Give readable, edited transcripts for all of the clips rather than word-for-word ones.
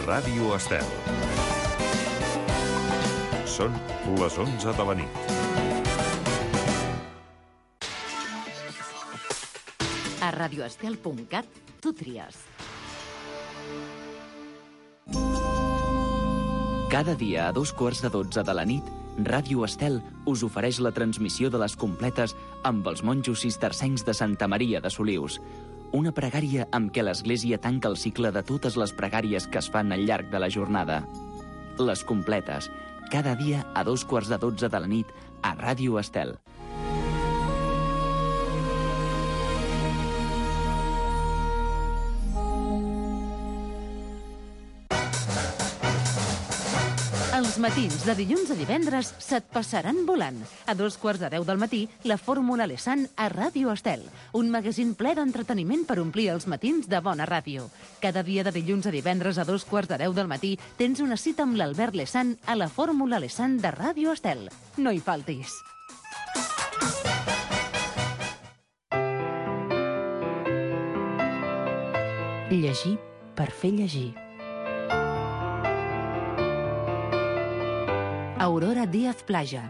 Ràdio Estel. Són les 11 de la nit. A radioestel.cat tu tries. Cada dia a 12:45 de la nit, Ràdio Estel us ofereix la transmissió de les completes amb els monjos cistercencs de Santa Maria de Solius. Una pregària amb què l'Església tanca el cicle de totes les pregàries que es fan al llarg de la jornada. Les completes, cada dia a 12:45 de la nit a Ràdio Estel. Els matins de dilluns a divendres se't passaran volant. A 9:45 del matí, la Fórmula Lesan a Ràdio Estel. Un magazín ple d'entreteniment per omplir els matins de bona ràdio. Cada dia de dilluns a divendres a 9:45 del matí tens una cita amb l'Albert Lesan a la Fórmula Lesan de Ràdio Estel. No hi faltis. Llegir per fer llegir. Aurora Díaz Plaja.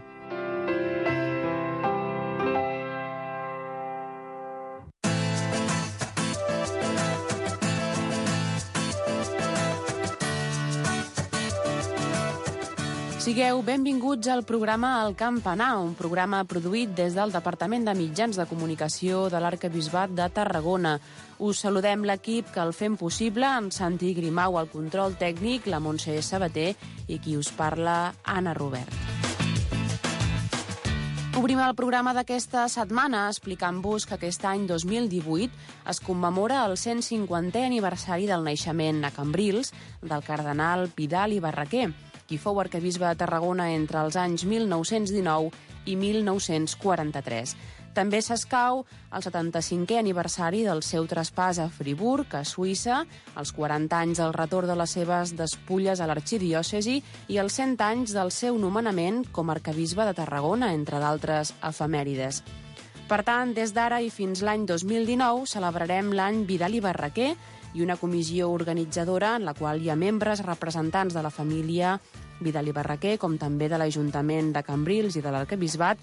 Sigueu benvinguts al programa El Campanar, un programa produït des del Departament de Mitjans de Comunicació de l'Arquebisbat de Tarragona. Us saludem l'equip que el fem possible, en Santi Grimau al control tècnic, la Montse Sabater i qui us parla, Anna Robert. Obrim el programa d'aquesta setmana explicant-vos que aquest any 2018 es commemora el 150è aniversari del naixement a Cambrils del cardenal Vidal i Barraquer, qui fou arquebisbe de Tarragona entre els anys 1919 i 1943. També s'escau el 75è aniversari del seu traspàs a Friburg, a Suïssa, els 40 anys del retorn de les seves despulles a l'arxidiòcesi i els 100 anys del seu nomenament com a arquebisbe de Tarragona, entre d'altres efemèrides. Per tant, des d'ara i fins l'any 2019 celebrarem l'any Vidal i Barraquer i una comissió organitzadora en la qual hi ha membres representants de la família Vidal i Barraquer, com també de l'Ajuntament de Cambrils i de l'Arquebisbat,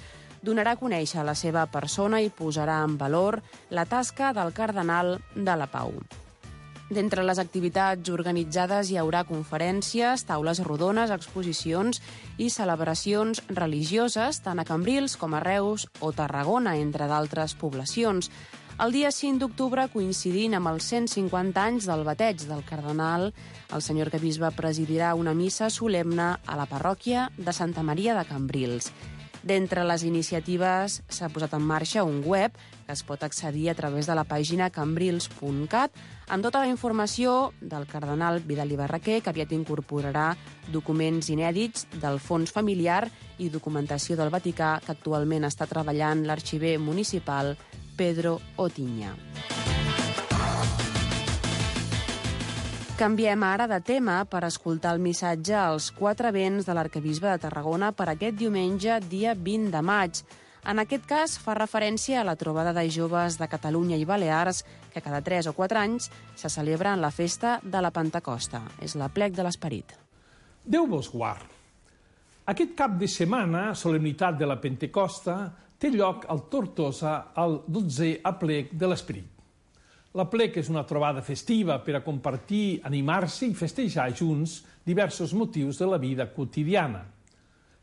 donarà a conèixer la seva persona i posarà en valor la tasca del cardenal de la Pau. D'entre les activitats organitzades hi haurà conferències, taules rodones, exposicions i celebracions religioses, tant a Cambrils com a Reus o Tarragona, entre d'altres poblacions. El dia 5 d'octubre, coincidint amb els 150 anys del bateig del cardenal, el senyor arquebisbe presidirà una missa solemne a la parròquia de Santa Maria de Cambrils. D'entre les iniciatives s'ha posat en marxa un web que es pot accedir a través de la pàgina cambrils.cat amb tota la informació del cardenal Vidal i Barraquer, que aviat incorporarà documents inèdits del fons familiar i documentació del Vaticà que actualment està treballant l'arxiver municipal Pedro Otiña. Canviem ara de tema per escoltar el missatge als 4 vents de l'arquebisbe de Tarragona per aquest diumenge, dia 20 de maig. En aquest cas fa referència a la trobada de joves de Catalunya i Balears, que cada 3 o 4 anys se celebra en la festa de la Pentecosta. És l'aplec de l'Esperit. Déu vos guard. Aquest cap de setmana, solemnitat de la Pentecosta, té lloc al Tortosa el 12è aplec de l'Esperit. L'aplec és una trobada festiva per a compartir, animar-se i festejar junts diversos motius de la vida quotidiana.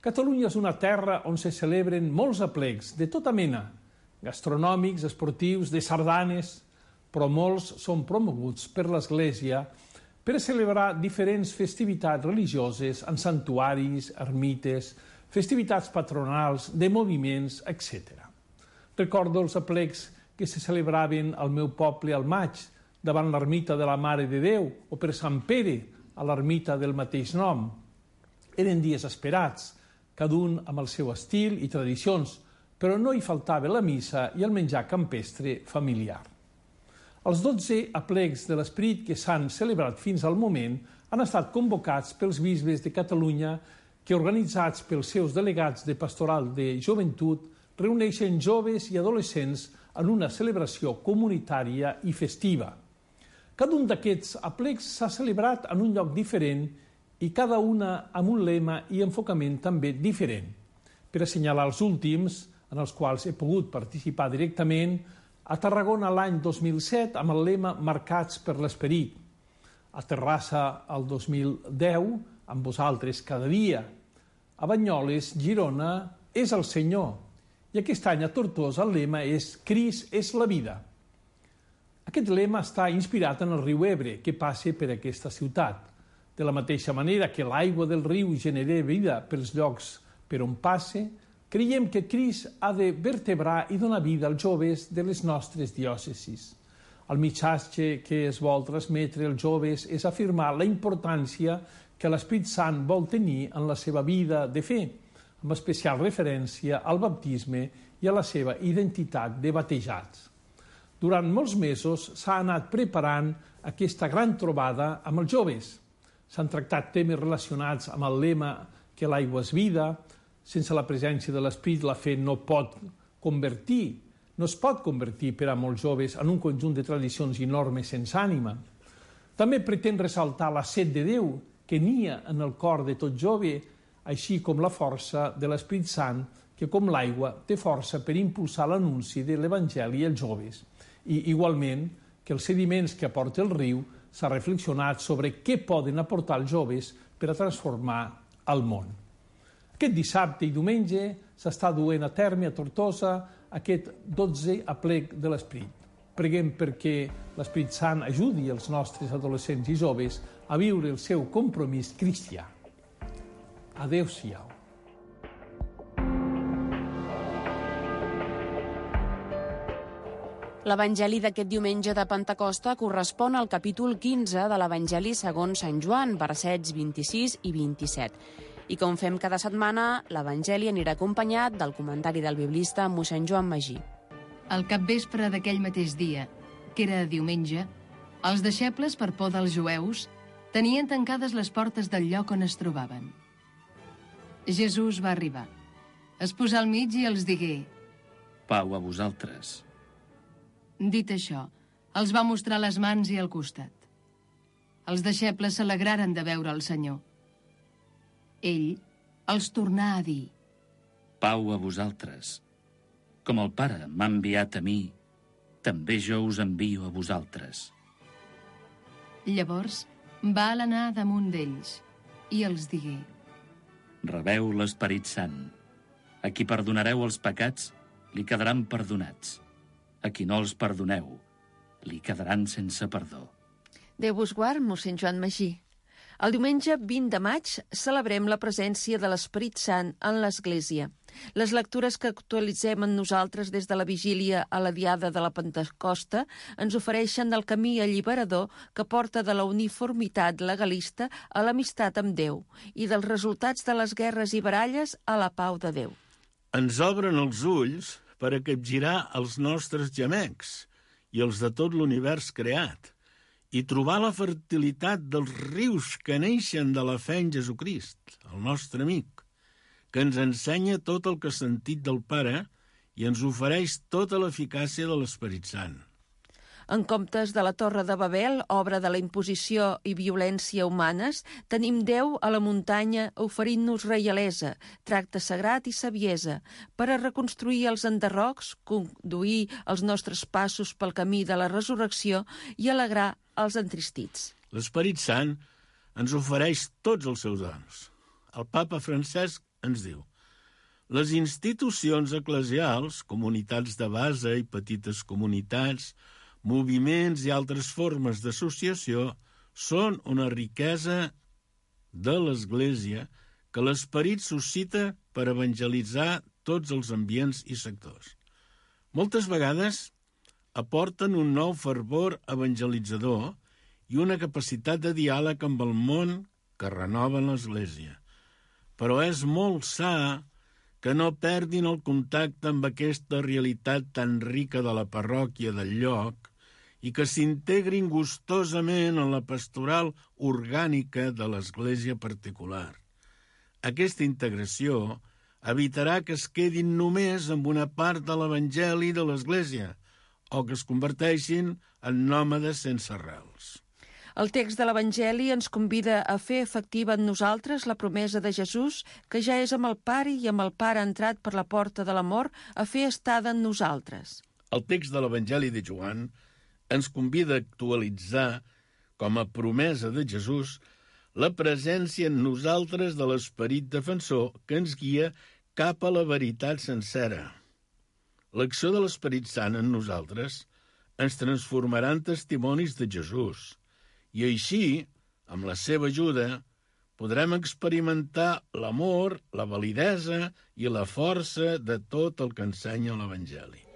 Catalunya és una terra on se celebren molts aplecs de tota mena, gastronòmics, esportius, de sardanes, però molts són promoguts per l'Església per a celebrar diferents festivitats religioses en santuaris, ermites, festivitats patronals, de moviments, etc. Recordo els aplecs que se celebraven al meu poble al maig, davant l'ermita de la Mare de Déu, o per Sant Pere, a l'ermita del mateix nom. Eren dies esperats, cada un amb el seu estil i tradicions, però no hi faltava la missa i el menjar campestre familiar. Els 12 aplecs de l'Esperit que s'han celebrat fins al moment han estat convocats pels bisbes de Catalunya que, organitzats pels seus delegats de pastoral de joventut, reuneixen joves i adolescents en una celebració comunitària i festiva. Cada un d'aquests aplecs s'ha celebrat en un lloc diferent i cada una amb un lema i enfocament també diferent. Per assenyalar els últims, en els quals he pogut participar directament, a Tarragona l'any 2007 amb el lema Marcats per l'Esperit, a Terrassa el 2010 amb vosaltres cada dia, a Banyoles, Girona, és el Senyor, i aquest any a Tortosa el lema és Crist és la vida. Aquest lema està inspirat en el riu Ebre, que passa per aquesta ciutat. De la mateixa manera que l'aigua del riu genera vida pels llocs per on passa, creiem que Crist ha de vertebrar i donar vida als joves de les nostres diòcesis. El missatge que es vol transmetre als joves és afirmar la importància que l'Espírit Sant vol tenir en la seva vida de fe, amb especial referència al baptisme i a la seva identitat de batejats. Durant molts mesos s'ha anat preparant aquesta gran trobada amb els joves. S'han tractat temes relacionats amb el lema que l'aigua és vida, sense la presència de l'Espírit la fe no es pot convertir per a molts joves en un conjunt de tradicions i normes sense ànima. També pretén ressaltar la set de Déu que nia en el cor de tot jove, així com la força de l'Espírit Sant, que com l'aigua té força per impulsar l'anunci de l'Evangeli als joves. I igualment que els sediments que aporta el riu s'ha reflexionat sobre què poden aportar els joves per a transformar el món. Aquest dissabte i diumenge s'està duent a terme a Tortosa aquest 12è aplec de l'Esperit. Preguem perquè l'Esperit Sant ajudi els nostres adolescents i joves a viure el seu compromís cristià. Adéu-siau. L'Evangeli d'aquest diumenge de Pentecosta correspon al capítol 15 de l'Evangeli segons Sant Joan, versets 26 i 27. I com fem cada setmana, l'Evangeli anirà acompanyat del comentari del biblista mossèn Joan Magí. Al capvespre d'aquell mateix dia, que era diumenge, els deixebles, per por dels jueus, tenien tancades les portes del lloc on es trobaven. Jesús va arribar. Es posà al mig i els digué: Pau a vosaltres. Dit això, els va mostrar les mans i el costat. Els deixebles s'alegraren de veure el Senyor. Ell els tornà a dir: Pau a vosaltres. Com el Pare m'ha enviat a mi, també jo us envio a vosaltres. Llavors va alenar damunt d'ells i els digué: Rebeu l'Esperit Sant. A qui perdonareu els pecats, li quedaran perdonats. A qui no els perdoneu, li quedaran sense perdó. Déu vos guard, mossèn Joan Magí. El diumenge 20 de maig celebrem la presència de l'Esperit Sant en l'Església. Les lectures que actualitzem en nosaltres des de la vigília a la diada de la Pentecosta ens ofereixen el camí alliberador que porta de la uniformitat legalista a l'amistat amb Déu i dels resultats de les guerres i baralles a la pau de Déu. Ens obren els ulls per a capgirar els nostres gemecs i els de tot l'univers creat, i trobar la fertilitat dels rius que neixen de la fe en Jesucrist, el nostre amic, que ens ensenya tot el que ha sentit del Pare i ens ofereix tota l'eficàcia de l'Esperit Sant. En comptes de la Torre de Babel, obra de la imposició i violència humanes, tenim Déu a la muntanya oferint-nos reialesa, tracte sagrat i saviesa, per a reconstruir els enderrocs, conduir els nostres passos pel camí de la resurrecció i alegrar els entristits. L'Esperit Sant ens ofereix tots els seus dons. El papa Francesc ens diu: les institucions eclesials, comunitats de base i petites comunitats, moviments i altres formes d'associació són una riquesa de l'Església que l'Esperit suscita per evangelitzar tots els ambients i sectors. Moltes vegades aporten un nou fervor evangelitzador i una capacitat de diàleg amb el món que renoven l'Església. Però és molt sa que no perdin el contacte amb aquesta realitat tan rica de la parròquia del lloc i que s'integrin gustosament en la pastoral orgànica de l'Església particular. Aquesta integració evitarà que es quedin només amb una part de l'Evangeli de l'Església o que es converteixin en nòmades sense arrels. El text de l'Evangeli ens convida a fer efectiva en nosaltres la promesa de Jesús, que ja és amb el Pare i amb el Pare entrat per la porta de l'amor, a fer estada en nosaltres. El text de l'Evangeli de Joan ens convida a actualitzar, com a promesa de Jesús, la presència en nosaltres de l'Esperit defensor que ens guia cap a la veritat sencera. L'acció de l'Esperit Sant en nosaltres ens transformarà en testimonis de Jesús, i així, amb la seva ajuda, podrem experimentar l'amor, la validesa i la força de tot el que ensenya l'Evangeli.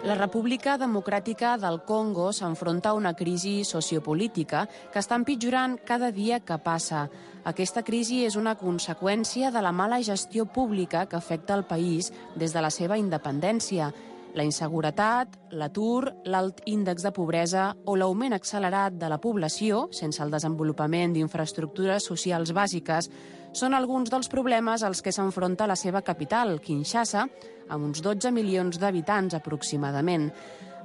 La República Democràtica del Congo s'enfronta a una crisi sociopolítica que està empitjorant cada dia que passa. Aquesta crisi és una conseqüència de la mala gestió pública que afecta el país des de la seva independència. La inseguretat, l'atur, l'alt índex de pobresa o l'augment accelerat de la població, sense el desenvolupament d'infraestructures socials bàsiques, són alguns dels problemes als que s'enfronta la seva capital, Kinshasa, amb uns 12 milions d'habitants aproximadament.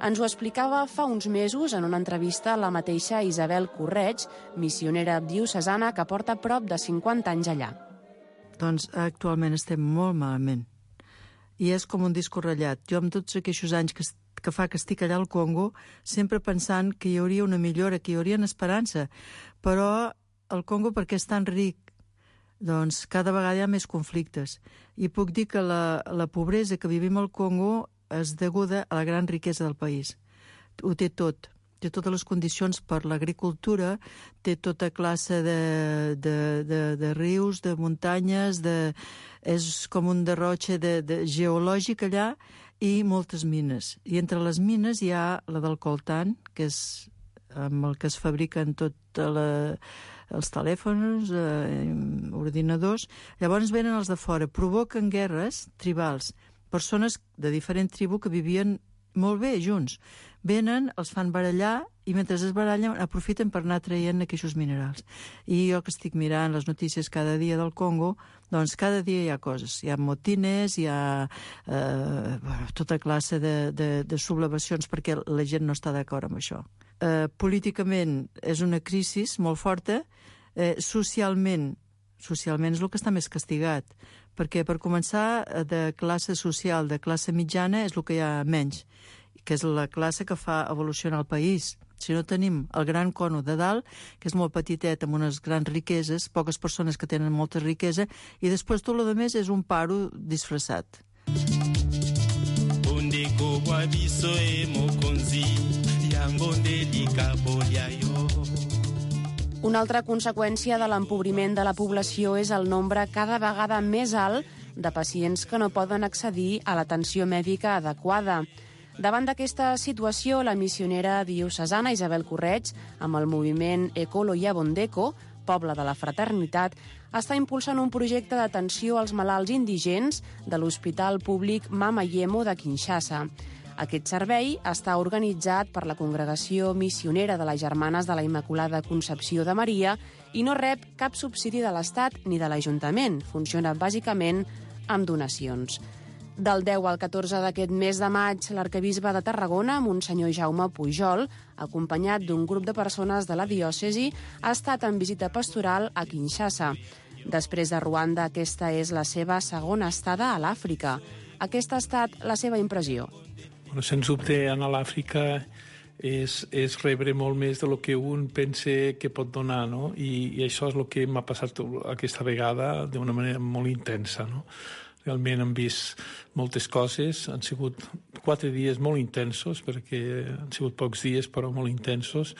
Ens ho explicava fa uns mesos en una entrevista a la mateixa Isabel Correig, missionera diocesana que porta prop de 50 anys allà. Doncs actualment estem molt malament. I és com un disco ratllat. Jo amb tots aquests anys que fa que estic allà al Congo, sempre pensant que hi hauria una millora, que hi hauria una esperança. Però el Congo, perquè és tan ric, doncs cada vegada hi ha més conflictes. I puc dir que la pobresa que vivim al Congo és deguda a la gran riquesa del país. Ho té tot. Té totes les condicions per l'agricultura, té tota classe de rius, de muntanyes, és com un derrotxe geològic allà, i moltes mines. I entre les mines hi ha la del coltan, que és amb el que es fabriquen els telèfons, ordinadors. Llavors venen els de fora, provoquen guerres tribals, persones de diferent tribu que vivien molt bé junts. Venen, els fan barallar i mentre es barallen aprofiten per anar traient aquests minerals. I jo que estic mirant les notícies cada dia del Congo, doncs cada dia hi ha coses. Hi ha motines, hi ha tota classe de sublevacions perquè la gent no està d'acord amb això. Políticament és una crisi molt forta. Socialment és el que està més castigat, perquè per començar de classe social, de classe mitjana és el que hi ha menys, que és la classe que fa evolucionar el país. Si no tenim el gran cono de dalt, que és molt petitet, amb unes grans riqueses, poques persones que tenen molta riquesa, i després tot el més és un paro disfressat. Una altra conseqüència de l'empobriment de la població és el nombre cada vegada més alt de pacients que no poden accedir a l'atenció mèdica adequada. Davant d'aquesta situació, la missionera diocesana Isabel Correig, amb el moviment Ekolo Yabondeko, Poble de la Fraternitat, està impulsant un projecte d'atenció als malalts indigents de l'Hospital Públic Mama Yemo de Kinshasa. Aquest servei està organitzat per la Congregació Missionera de les Germanes de la Immaculada Concepció de Maria i no rep cap subsidi de l'Estat ni de l'Ajuntament. Funciona bàsicament amb donacions. Del 10 al 14 d'aquest mes de maig, l'arquebisbe de Tarragona, Monsenyor Jaume Pujol, acompanyat d'un grup de persones de la diòcesi, ha estat en visita pastoral a Kinshasa. Després de Ruanda, aquesta és la seva segona estada a l'Àfrica. Aquesta ha estat la seva impressió. Sens dubte, anar a l'Àfrica és rebre molt més del que un pensa que pot donar, no? I això és el que m'ha passat aquesta vegada d'una manera molt intensa, no? Realment hem vist moltes coses, han sigut 4 dies molt intensos, perquè han sigut pocs dies però molt intensos,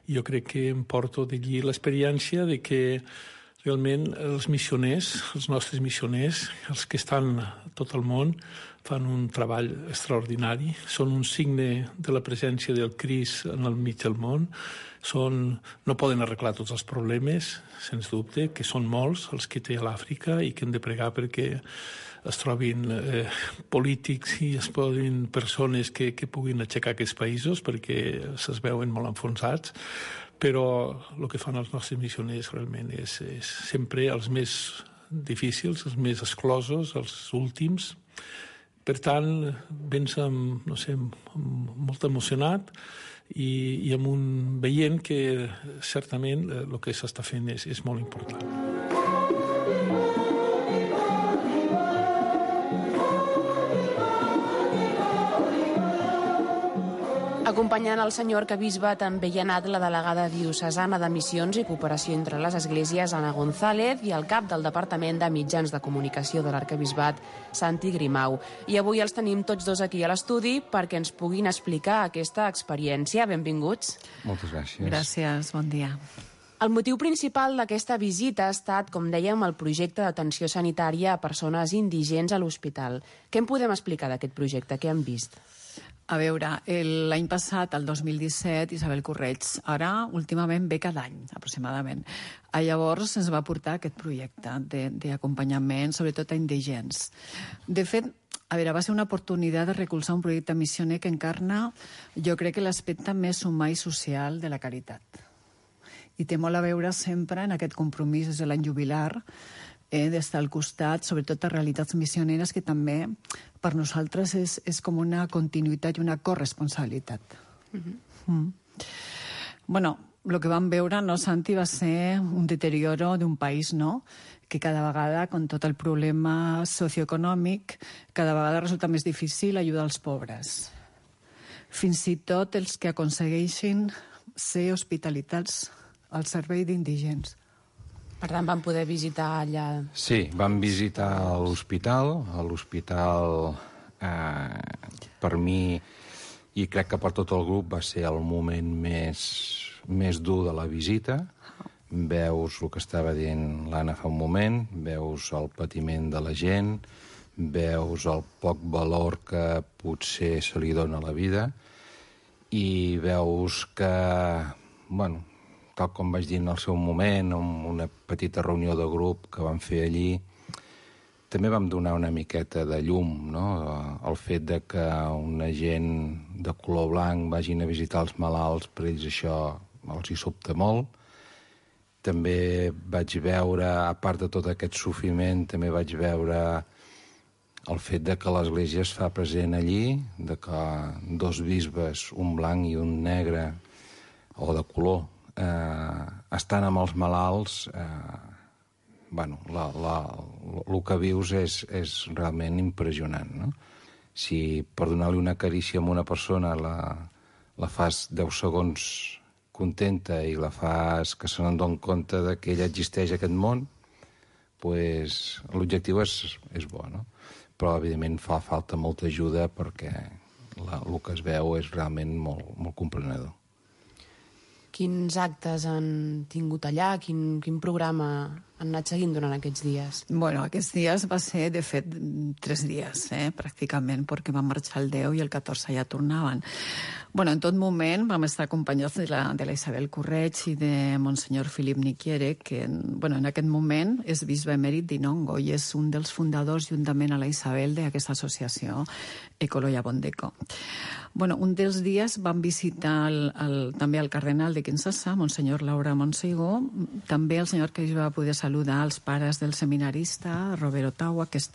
i jo crec que em porto d'allí l'experiència de que realment els missioners, els nostres missioners, els que estan a tot el món, fan un treball extraordinari, són un signe de la presència del Crist en el mig del món, no poden arreglar tots els problemes, sens dubte, que són molts els que té a l'Àfrica i que hem de pregar perquè es trobin polítics i es trobin persones que puguin aixecar aquests països perquè se'ls veuen molt enfonsats, però el que fan els nostres missioners realment és sempre els més difícils, els més exclosos, els últims. Per tant, vens amb molt emocionat i amb veient que certament el que s'està fent és molt important. Acompanyant el senyor arquebisbe també hi ha anat la delegada diocesana de Missions i Cooperació entre les Esglésies, Anna González, i el cap del Departament de Mitjans de Comunicació de l'Arquebisbat, Santi Grimau. I avui els tenim tots dos aquí a l'estudi perquè ens puguin explicar aquesta experiència. Benvinguts. Moltes gràcies. Gràcies, bon dia. El motiu principal d'aquesta visita ha estat, com dèiem, el projecte d'atenció sanitària a persones indigents a l'hospital. Què en podem explicar d'aquest projecte? Què han vist? A veure, l'any passat, el 2017, Isabel Correig, ara últimament ve cada any, aproximadament. Llavors ens va portar aquest projecte d'acompanyament, sobretot a indigents. De fet, a veure, va ser una oportunitat de recolzar un projecte missioner que encarna, jo crec que l'aspecte més humà i social de la caritat. I té molt a veure sempre en aquest compromís des de l'any jubilar, d'estar al costat, sobretot a realitats missioneres, que també per nosaltres és com una continuïtat i una corresponsabilitat. Bueno, el que vam veure, no, Santi, va ser un deterioro d'un país, no?, que cada vegada, con tot el problema socioeconòmic, cada vegada resulta més difícil ajudar els pobres. Fins i tot els que aconsegueixin ser hospitalitats al servei d'indigents. Per tant, van poder visitar allà... Sí, vam visitar l'hospital. L'hospital, per mi, i crec que per tot el grup, va ser el moment més dur de la visita. Veus el que estava dient l'Anna fa un moment, veus el patiment de la gent, veus el poc valor que potser se li dona a la vida i veus que, bueno, tal com vaig dir en el seu moment, en una petita reunió de grup que vam fer allí, també vam donar una miqueta de llum, no? El fet de que una gent de color blanc vagin a visitar els malalts, per ells això els hi sobta molt. També vaig veure, a part de tot aquest sofriment, també vaig veure el fet de que l'Església es fa present allí, de que dos bisbes, un blanc i un negre, o de color, estan amb els malalts, bueno, el que vius és realment impressionant, no? Si per donar-li una carícia a una persona la fas 10 segons contenta i la fas que se n'adoni compte que ella existeix a aquest món, doncs l'objectiu és bo, no? Però, evidentment, fa falta molta ajuda perquè el que es veu és realment molt comprenedor. Quins actes han tingut allà? Quin programa han anat seguint durant aquests dies? Bueno, aquests dies va ser, de fet, 3 dies, pràcticament, perquè van marxar el 10 i el 14 ja tornaven. Bueno, en tot moment vam estar acompanyats de la Isabel Correig i de Monsenyor Philip Niquiere, que bueno, en aquest moment és bisbe emèrit d'Inongo i és un dels fundadors, juntament a la Isabel, d'aquesta associació Ecoloia Bondeco. Bueno, un dels dies vam visitar també el cardenal de Kinshasa, Monsenyor Laura Monseigó, també el senyor que va poder saludar els pares del seminarista Robert Ottawa, que és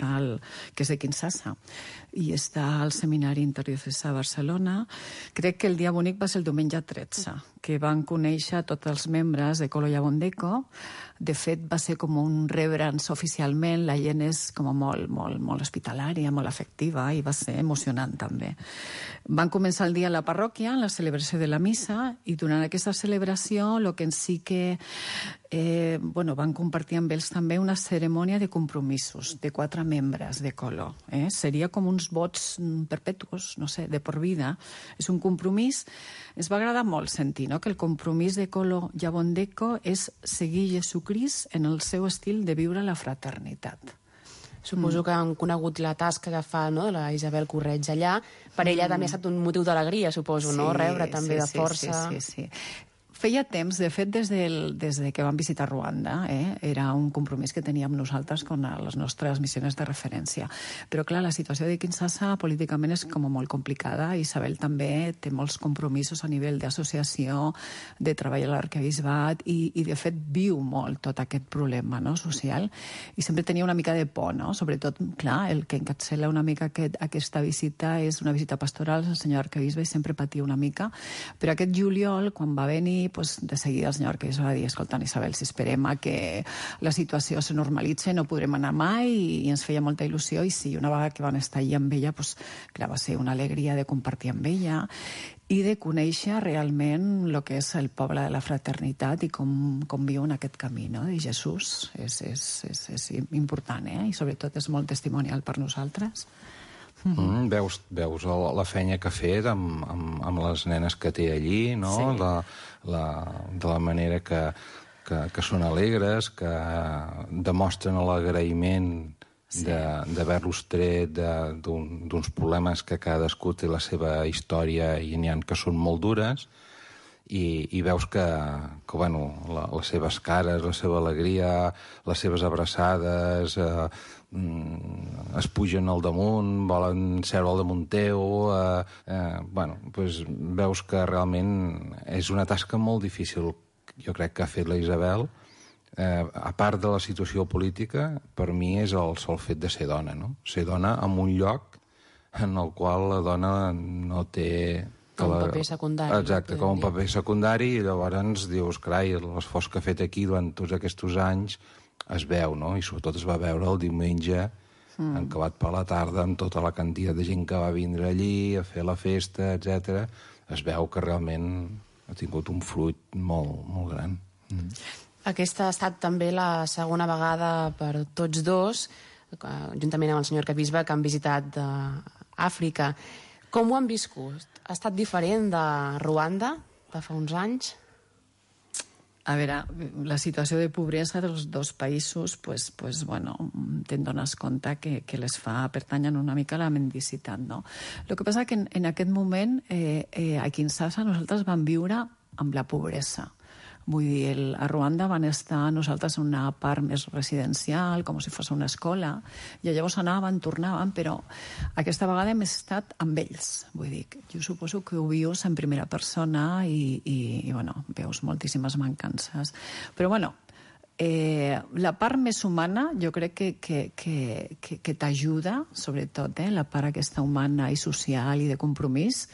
de Kinshasa, i està al Seminari Interdiocesà a Barcelona. Crec que el dia bonic va ser el diumenge 13, que van conèixer tots els membres d'Ecoloia Bondeco. De fet, va ser com un rebre'ns oficialment, la gent és com molt hospitalària, molt afectiva, i va ser emocionant també. Van començar el dia a la parròquia, en la celebració de la missa, i durant aquesta celebració el que en sí que van compartir amb ells també una cerimònia de compromisos de 4 membres de Colo. Seria com uns vots perpetuos, no sé, de por vida. És un compromís. Ens va agradar molt sentir, no?, que el compromís de Colo i Bondeco és seguir Jesucrist en el seu estil de viure la fraternitat. Suposo que han conegut la tasca que fa, no?, la Isabel Correig allà. Per ella també ha estat un motiu d'alegria, suposo, no?, rebre també de força. Sí. Feia temps, de fet, des de que vam visitar Ruanda, era un compromís que teníem nosaltres amb les nostres missions de referència. Però, clar, la situació de Kinshasa políticament és com molt complicada. Isabel també té molts compromisos a nivell d'associació, de treball a l'arquebisbat, i de fet viu molt tot aquest problema, no?, social, i sempre tenia una mica de por, no? Sobretot, clar, el que encapçala una mica aquesta visita és una visita pastoral, el senyor arquebisbe, i sempre patia una mica. Però aquest juliol, quan va venir, de seguida el senyor arquebisbe va dir: escolta, Isabel, si esperem a que la situació se normalitzi no podrem anar mai, i ens feia molta il·lusió, i sí, una vegada que van estar allà amb ella, clar, va ser una alegria de compartir amb ella i de conèixer realment el que és el poble de la fraternitat i com viu en aquest camí, no?, de Jesús. És important, i sobretot és molt testimonial per nosaltres. Veus la feina que ha fet amb les nenes que té allí, no? Sí. De la manera que són alegres, que demostren l'agraïment d'haver-los tret d'uns problemes que cadascú té la seva història i n'hi ha que són molt dures, i veus que bueno, les seves cares, la seva alegria, les seves abraçades, es pugen al damunt, volen seure al damunt teu, bueno, doncs veus que realment és una tasca molt difícil, jo crec que ha fet la Isabel. A part de la situació política, per mi és el sol fet de ser dona, no? Ser dona en un lloc en el qual la dona no té... Com un paper secundari. Exacte, com un paper secundari, i llavors dius, carai, l'esforç que ha fet aquí durant tots aquests anys es veu, no? I sobretot es va veure el diumenge, encabat per la tarda, amb tota la quantitat de gent que va vindre allí a fer la festa, etc. Es veu que realment ha tingut un fruit molt, molt gran. Aquesta ha estat també la segona vegada per tots dos, juntament amb el senyor arquebisbe, que han visitat Àfrica. Com ho han viscut? Ha estat diferent de Ruanda, de fa uns anys? A veure, la situació de pobresa dels dos països, bueno, te'n dones compte que les fa pertanyen una mica a la mendicitat, no? El que passa que en aquest moment a Kinshasa nosaltres vam viure amb la pobresa. Vull dir, a Ruanda van estar nosaltres en una part més residencial, com si fos una escola, i llavors anàvem, tornàvem, però aquesta vegada hem estat amb ells. Vull dir, jo suposo que ho vius en primera persona i bueno, veus moltíssimes mancances. Però, bueno, la part més humana jo crec que t'ajuda, sobretot, la part aquesta humana i social i de compromís,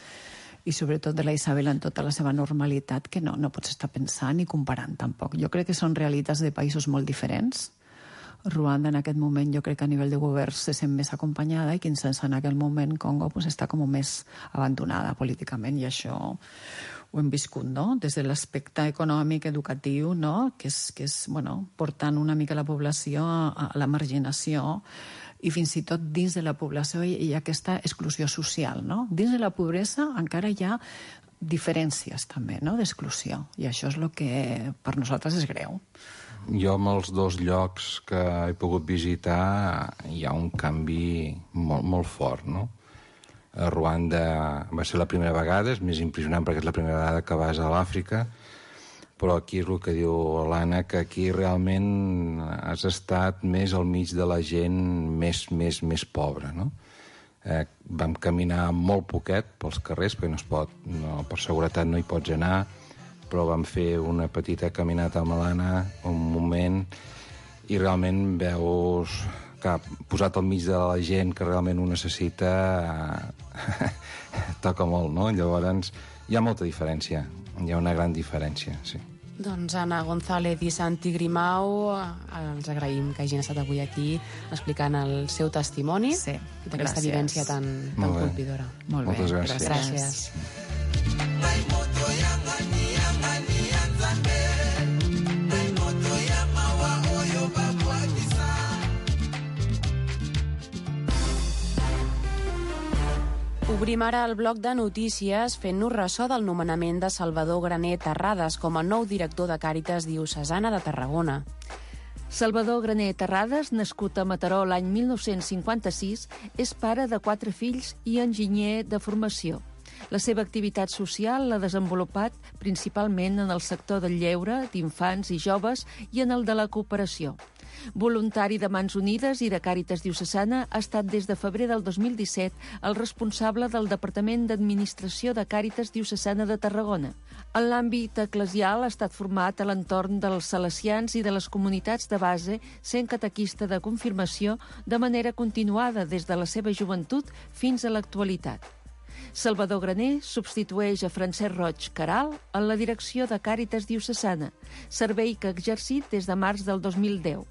i sobretot de la Isabel en tota la seva normalitat, que no pots estar pensant ni comparant tampoc. Jo crec que són realitats de països molt diferents. Ruanda en aquest moment jo crec que a nivell de govern se sent més acompanyada, i Kinshasa en aquell moment Congo està com més abandonada políticament, i això ho hem viscut, no? Des de l'aspecte econòmic, educatiu, no? Que és bueno, portant una mica la població a la marginació, i fins i tot dins de la població hi ha aquesta exclusió social, no? Dins de la pobresa encara hi ha diferències també, no?, d'exclusió, i això és el que per nosaltres és greu. Jo, amb els dos llocs que he pogut visitar, hi ha un canvi molt, molt fort, no? A Ruanda va ser la primera vegada, és més impressionant perquè és la primera vegada que vas a l'Àfrica, però aquí és el que diu l'Anna, que aquí realment has estat més al mig de la gent més pobra, no? Vam caminar molt poquet pels carrers, perquè no es pot, per seguretat no hi pots anar, però vam fer una petita caminata amb l'Anna un moment, i realment veus que posat al mig de la gent que realment ho necessita toca molt, no? Llavors hi ha molta diferència, hi ha una gran diferència, sí. Doncs Anna González i Santi Grimau, els agraïm que hagin estat avui aquí explicant el seu testimoni d'aquesta vivència tan colpidora. Molt bé, moltes gràcies. Gràcies. Obrim ara el bloc de notícies fent-nos ressò del nomenament de Salvador Graner Terrades com a nou director de Càritas Diocesana de Tarragona. Salvador Graner Terrades, nascut a Mataró l'any 1956, és pare de 4 fills i enginyer de formació. La seva activitat social l'ha desenvolupat principalment en el sector del lleure, d'infants i joves i en el de la cooperació. Voluntari de Mans Unides i de Càritas Diocesana, ha estat des de febrer del 2017 el responsable del Departament d'Administració de Càritas Diocesana de Tarragona. En l'àmbit eclesial ha estat format a l'entorn dels salesians i de les comunitats de base, sent catequista de confirmació de manera continuada des de la seva joventut fins a l'actualitat. Salvador Graner substitueix a Francesc Roig Caral en la direcció de Càritas Diocesana, servei que ha exercit des de març del 2010.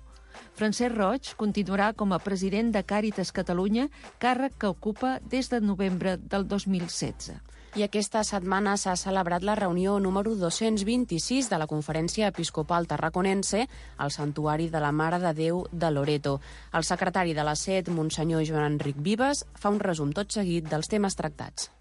Francesc Roig continuarà com a president de Càritas Catalunya, càrrec que ocupa des de novembre del 2016. I aquesta setmana s'ha celebrat la reunió número 226 de la Conferència Episcopal Tarraconense al Santuari de la Mare de Déu de Loreto. El secretari de la SED, Monsenyor Joan Enric Vives, fa un resum tot seguit dels temes tractats.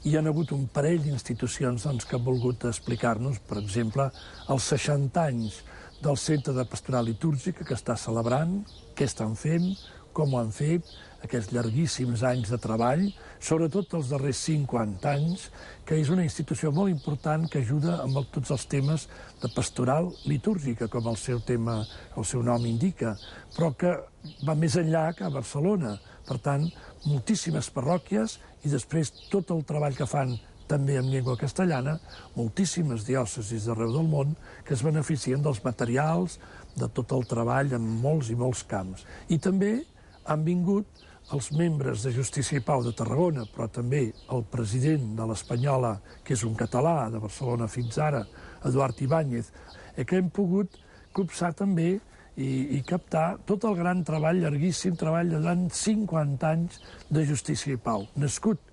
Hi ha hagut un parell d'institucions que han volgut explicar-nos, per exemple, els 60 anys del Centre de Pastoral Litúrgica que està celebrant, què estan fent, com ho han fet, aquests llarguíssims anys de treball, sobretot els darrers 50 anys, que és una institució molt important que ajuda amb tots els temes de pastoral litúrgica, com el seu nom indica, però que va més enllà que a Barcelona. Per tant, moltíssimes parròquies i després tot el treball que fan també en llengua castellana, moltíssimes diòcesis d'arreu del món que es beneficien dels materials, de tot el treball en molts i molts camps. I també han vingut els membres de Justícia i Pau de Tarragona, però també el president de l'Espanyola, que és un català de Barcelona fins ara, Eduard Ibáñez, que hem pogut copsar també i captar tot el gran treball, llarguíssim treball de durant 50 anys de Justícia i Pau, nascut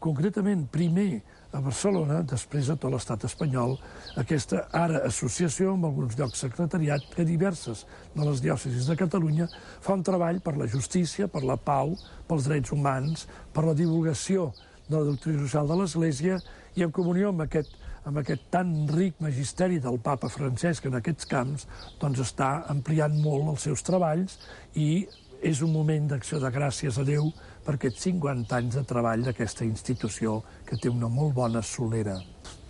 concretament primer a Barcelona, després a tot l'estat espanyol, aquesta ara associació, amb alguns llocs secretariat, que diverses de les diòcesis de Catalunya fa un treball per la justícia, per la pau, pels drets humans, per la divulgació de la doctrina social de l'Església i en comunió amb aquest tan ric magisteri del papa Francesc en aquests camps, doncs està ampliant molt els seus treballs i és un moment d'acció de gràcies a Déu per aquests 50 anys de treball d'aquesta institució que té una molt bona solera.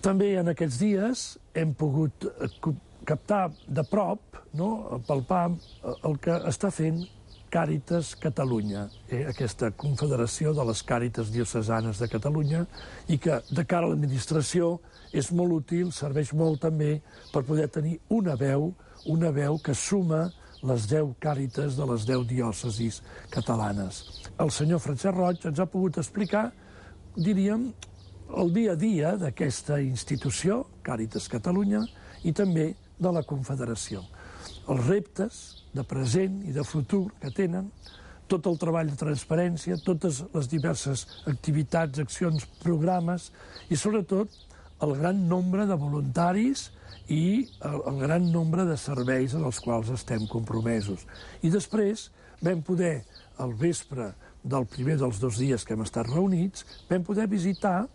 També en aquests dies hem pogut captar de prop, palpar el que està fent Càritas Catalunya, aquesta confederació de les Càritas Diocesanes de Catalunya, i que de cara a l'administració és molt útil, serveix molt també per poder tenir una veu que suma les 10 càritas de les 10 diòcesis catalanes. El senyor Francesc Roig ens ha pogut explicar, diríem, el dia a dia d'aquesta institució, Càritas Catalunya, i també de la Confederació. Els reptes de present i de futur que tenen, tot el treball de transparència, totes les diverses activitats, accions, programes i, sobretot, el gran nombre de voluntaris i el gran nombre de serveis en els quals estem compromesos. I després vam poder, al vespre del primer dels 2 dies que hem estat reunits, vam poder visitar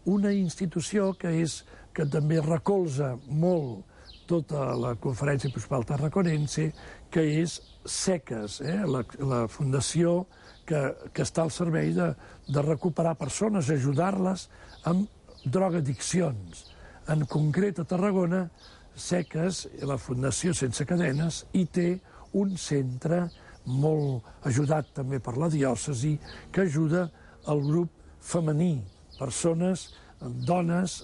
una institució que també recolza molt tota la Conferència Episcopal Tarraconense, que és SECAS, la fundació que està al servei de recuperar persones, ajudar-les amb drogadiccions. En concret, a Tarragona, SECAS, la Fundació Sense Cadenes, i té un centre molt ajudat també per la diòcesi que ajuda el grup femení, persones, dones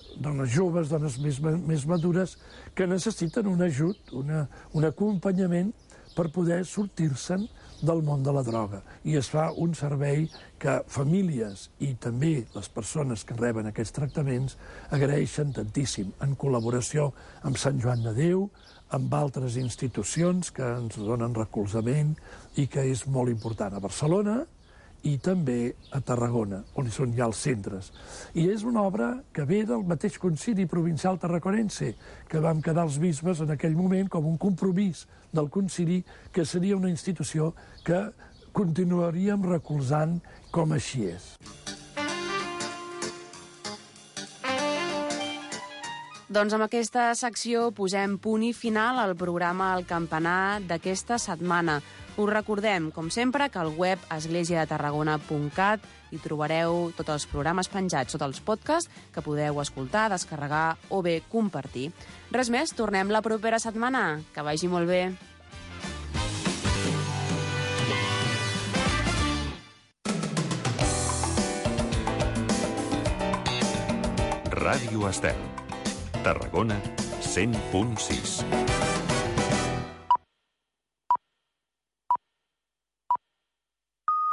joves, dones més madures, que necessiten un ajut, un acompanyament per poder sortir-se'n del món de la droga. I es fa un servei que famílies i també les persones que reben aquests tractaments agraeixen tantíssim, en col·laboració amb Sant Joan de Déu, amb altres institucions que ens donen recolzament i que és molt important a Barcelona i també a Tarragona, on són ja els centres. I és una obra que ve del mateix Concili Provincial Tarraconense, que vam quedar els bisbes en aquell moment com un compromís del Concili, que seria una institució que continuaríem recolzant com així és. Doncs amb aquesta secció posem punt i final al programa El Campanar d'aquesta setmana. Us recordem, com sempre, que al web esglésiadetarragona.cat hi trobareu tots els programes penjats, tots els podcasts que podeu escoltar, descarregar o bé compartir. Res més, tornem la propera setmana. Que vagi molt bé. Ràdio Estel. Tarragona 100.6.